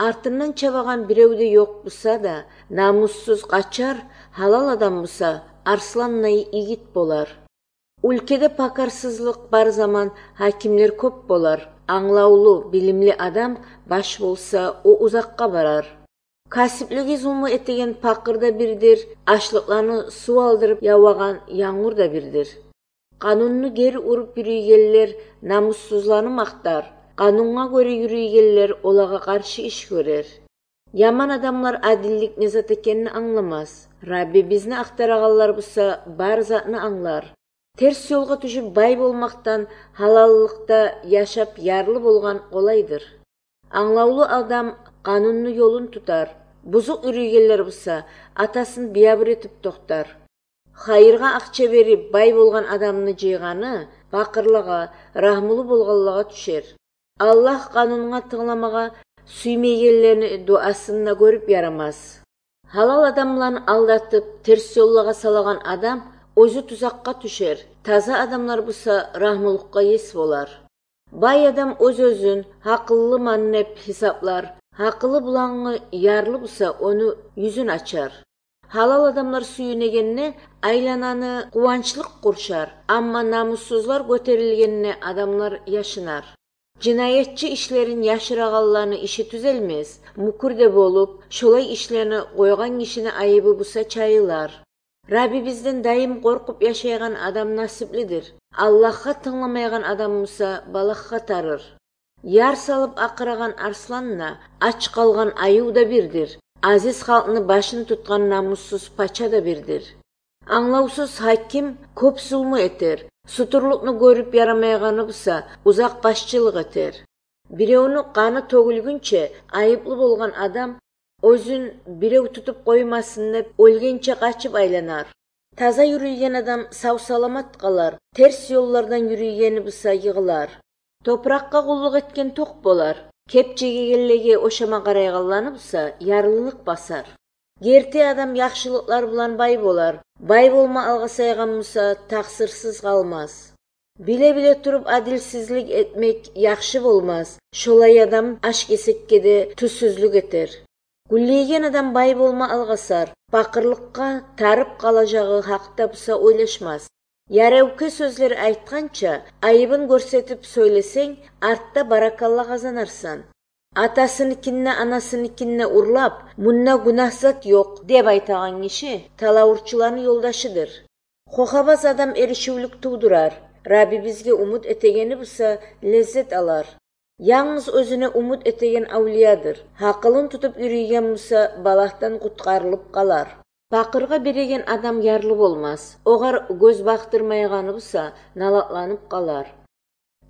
Артынан чабаган бирөөдө жок булса да, намуссуз качар, халал адам булса, арсландай игит болар. Ülkede pakarsızlık бар zaman hakimler көп болар. Аңлаулуу, билимли адам баш болса, о узакка барар. Касиплиги зулму этеген пакыр да бирдир, ачлыкларны суу алдырып ябаган яңгур да бирдир. Канунну кери уруп жүргенлер намуссузларны мактар. Канунга көрө жүргенлер олага каршы иш көрөр. Яман адамлар адилдик не зат экенин аңламас. Рабби бизни актараганлар болса, бар затны аңлар. Терс жолго түшүп бай болмактан халаллыкта жашап ярлы болгон колайдыр. Аңлаулуу адам канунну жолун тутар. Бузук үрүгенлер болса, атасын биябыр этип токтар. Хайырга акча берип бай болгон адамны жыйганы бакырлыга, рахмулуу болгонлуга түшөр. Аллах канунга тыңламага сүймөгенлерни дуасында көрүп ярамас. Халал адамларын алдатып, терс жолго салган адам өзү тузакка түшөр. Таза адамлар болса, рахмулукка эс болар. Бай адам өз-өзүн акыллы маннеп хисаплар. Акылы булаңы ярлы болса, ону yüzүн ачар. Халал адамлар сүйүнөгенне айлананы кубанчлык куршар, амма намуссузлар көтөрүлгенне адамлар яшынар. Жинаятчы ишлерин яшыраганларны иши түзелмес. Мукурде болуп, шолай ишлерни койгон кишини айыбы буса чайылар. Рабби бизден дайым коркуп жашайган адам насиплидир. Аллахка тыңламайган адам болса, балакка тарыр. Яр салып акыраган арсланна ач калган аюу да бирдир. Азиз халкны башын туткан намуссуз пача да бирдир. Аңлаусуз хаким көп зулму этер. Сутурлукну көрүп ярамайганы болса, узак башчылык этер. Бирөөнү каны төгүлгүнчө айыплуу болгон адам өзүн бирөө тутуп коймасын деп өлгенче качып айланар. Таза жүргөн адам сау-саламат калар, терс жоллордон жүргөнү болса йыгылар. Топуракка кулдук эткен ток болар. Кеп жегенлеге ошама карайганланы болса, ярлылык басар. Керте адам жакшылыклар билан бай болар. Бай болма алга сайган болса, таксырсыз калмас. Биле-биле туруп адилсиздик этмек жакшы болмас. Шолай адам аш-кесекке де түссүзлүк этер. Гүллейген адам бай болма алгасар. Бакырлыкка тарып калажагы хакта болса ойлошмас. Ярауке сөзлөр айтканча, айыбын көрсөтүп сөйлесең, артта баракалла казанарсан. Атасыныкинне, анасыныкинне урлап, мунна гунахсат жок деп айтаган киши талаурчулардын жолдашыдыр. Кохабаз адам эришүүлүк туудурар. Рабби бизге умут этегени болса, леззет алар. Яңыз өзүнө умут этеген аулиядыр. Акылын тутуп үрүйген болса, балактан куткарылып калар. Бакырга береген адам ярлы болмас. Огар көз бактырмайганы болса, налатланып калар.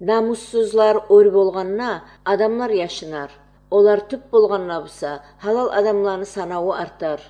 Намуссузлар өр болгонна адамлар яшынар. Олар түп болгонна болса, халал адамларны санабы артар.